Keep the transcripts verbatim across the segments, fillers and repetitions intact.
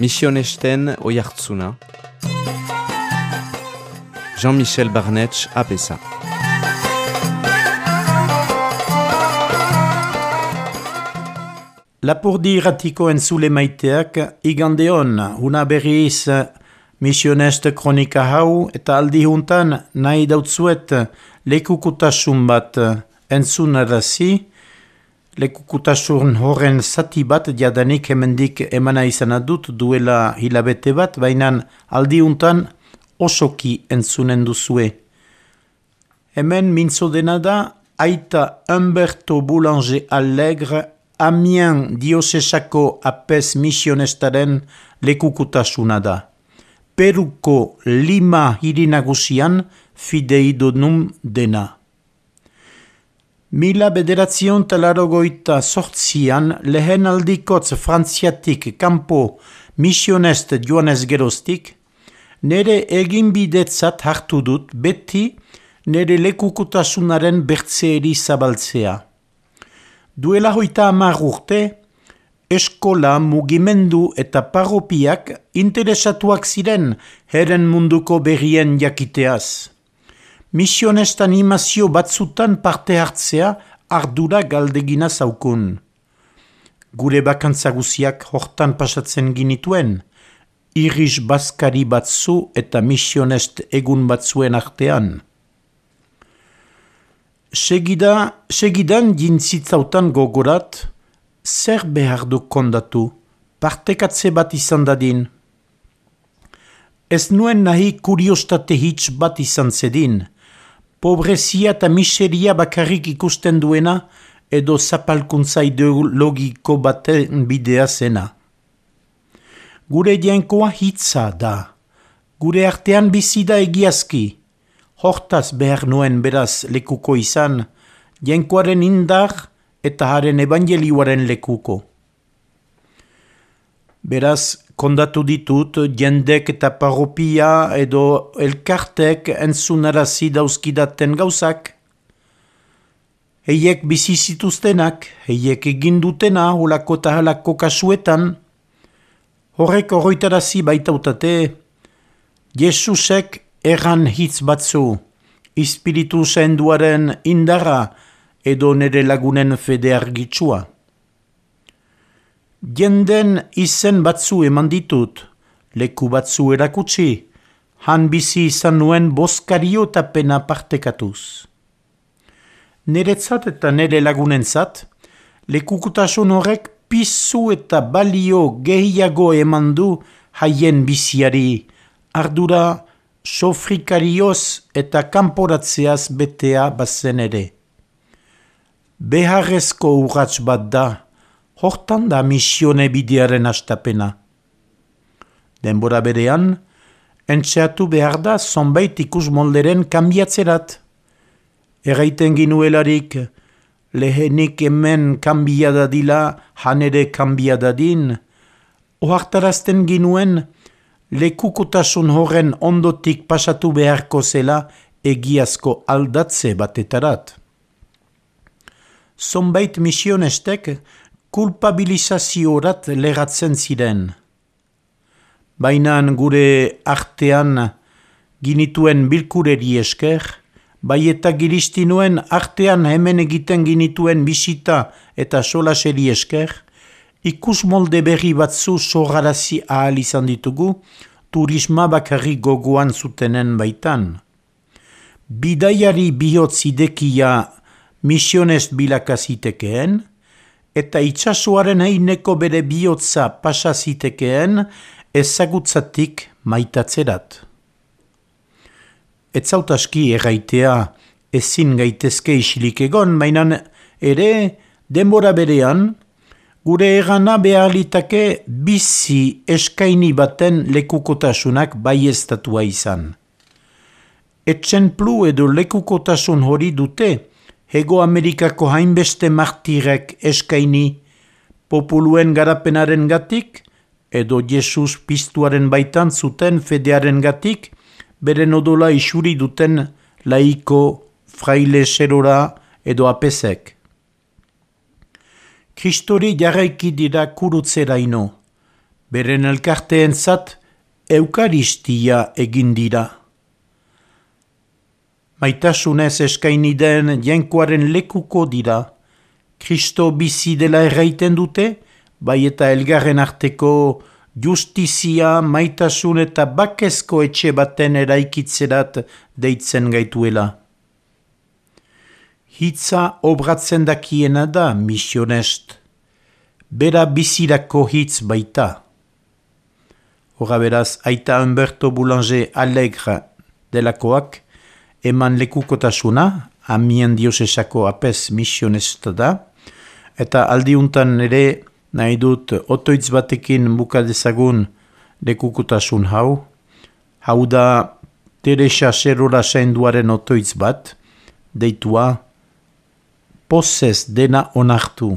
Misionesten oihartzuna. Jean-Michel Barnetx apesa. Lapurdi irratiko entzule maiteak, igande hon, una berriz misionest kronika hau, eta aldi juntan nahi dautzuet lekukutasun bat entzunarazi, lekukutasun horren zati bat jadanik hemendik emana izan adut duela hilabete bat, baina aldi juntan osoki entzunen duzue. Hemen mintzo dena da, aita Humberto Boulanger Allegre, Amiens diosesako apes misionestaren lekukutasuna da. Peruko Lima hirinagusian fideidonum dena. Mila bederatzion talarogoita sortzian lehen aldikotz frantziatik kanpo misionest joanez geroztik, nere eginbidetzat hartu dut beti nere lekukutasunaren bertzeeri zabaltzea. Duela hoita hamar urte, eskola, mugimendu eta parropiak interesatuak ziren heren munduko berrien jakiteaz. Misionest animazio batzutan parte hartzea ardura galdegina zaukun. Gure bakantza guziak hortan pasatzen ginituen, iris baskari batzu eta misionest egun batzuen artean. Segida, segidan jintzitzautan gogorat, zer behar du kondatu, partekatze bat izan dadin. Ez nuen nahi kuriostate hitz bat izan zedin, pobrezia eta miseria bakarrik ikusten duena edo zapalkuntza ideologiko baten bidea zena. Gure jainkoa hitza da, gure artean bizi da egiazki, hortaz behar nuen beraz lekuko izan, jainkoaren indar eta haren evangelioaren lekuko. Beraz, kondatu ditut jendek eta parropia edo elkartek entzunarazi dauzkidaten gauzak. Heiek bizi zituztenak, heiek egin dutena holako eta halako kasuetan. Horrek horroitarazi baitautate, Jesusek erran hitz batzu, espiritu zainduaren indarra edo nere lagunen fede argitsua. Jenden izen batzu eman ditut, leku batzu erakutsi, han bizi izan nuen boskario eta pena partekatuz. Neretzat eta nere lagunentzat, lekukutasun horrek pizu eta balio gehiago eman du haien biziari, ardura sofrikarioz eta kanporatzeaz betea bazen ere. Beharrezko urrats bat da, hortan da misione bidearen astapena. Denbora berean, entxeatu behar da zonbait ikus molderen kanbiatzerat. Erraiten ginuelarik, lehenik hemen kanbiadadila, han ere kanbiadadin, ohartarazten ginuen, lekukotasun horren ondotik pasatu beharko zela egiazko aldatze batetarat. Zonbait misionestek kulpabilizaziorat leratzen ziren. Bainan gure artean ginituen bilkureri esker, bai eta giristinuen artean hemen egiten ginituen bisita eta solaseri esker, ikus molde berri batzu sorrarazi ahal izan ditugu, turisma bakarri gogoan zutenen baitan. Bidaiari bihotz idekia misionest bilakazitekeen, eta itsasoaren eineko bere bihotza pasazitekeen ezagutzatik maitatzerat. Etzautaski erraitea ezin gaitezke isilik egon, mainan ere denbora berean, gure erana behar litake bizi eskaini baten lekukotasunak baieztatua izan. Etxenplu edo lekukotasun hori dute, Hego Amerikako hainbeste martirek eskaini, populuen garapenaren gatik, edo Jesus piztuaren baitan zuten fedearen gatik, beren odola isuri duten laiko, fraile serora edo apesek. Kristori jarraiki dira kurutzeraino, Beren elkarteentzat eukaristia egin dira. Maitasunez eskaini den jainkoaren lekuko dira. Kristo bizi dela erraiten dute, bai eta elgarren arteko justizia, maitasun eta bakezko etxe baten eraikitzerat deitzen gaituela. Hitza obratzen dakiena da misionest. Bera bizirako hitz baita. Hora beraz, aita Humberto Boulanger Alegre delakoak, eman lekukotasuna, Amien diosesako apes misionesta da, eta aldiuntan ere nahi dut otoitz batekin buka dezagun lekukotasun hau. Hau da Teresa Serora sainduaren otoitz bat, deitua pozez dena onartu.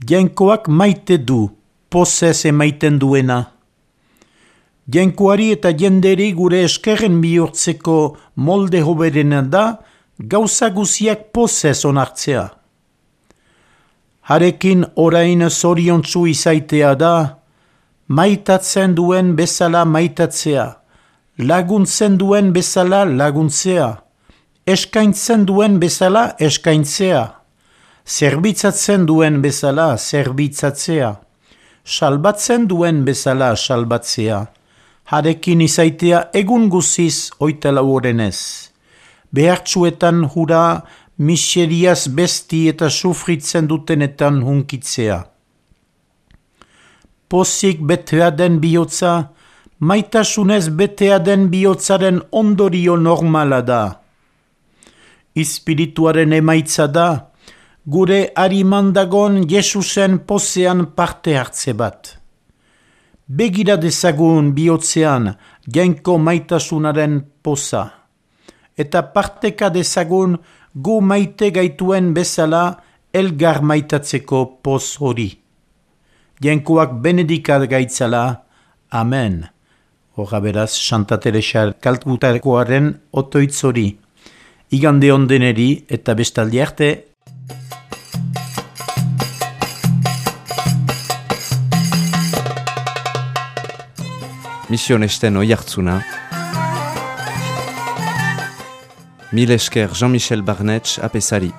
Jainkoak maite du, pozez emaiten duena. Jainkoari eta jenderi gure eskerren bihurtzeko molde hoberena da gauza guziak pozez onartzea. Harekin orain zoriontsu izaitea da, maitatzen duen bezala maitatzea, laguntzen duen bezala laguntzea, eskaintzen duen bezala eskaintzea, zerbitzatzen duen bezala zerbitzatzea, salbatzen duen bezala salbatzea. Harekin izaitea egun guziz oitalau orenez. Behartsuetan hura miseriaz besti eta sufritzen dutenetan hunkitzea. Pozik betea den bihotza, maitasunez betea den bihotzaren ondorio normala da. Espirituaren emaitza da, gure arimandagon Jesusen pozean parte hartze bat. Begira dezagun bihotzean jainko maitasunaren poza, eta parteka dezagun gu maite gaituen bezala elgar maitatzeko poz hori. Jainkoak benedikat gaitzala, amen. Horra beraz, Santa Teresa Kalkutakoaren otoitz hori. Igande ondeneri eta bestaldi arte. Misionesten Oihartzuna. Mil esker Jean-Michel Barnetx apesari.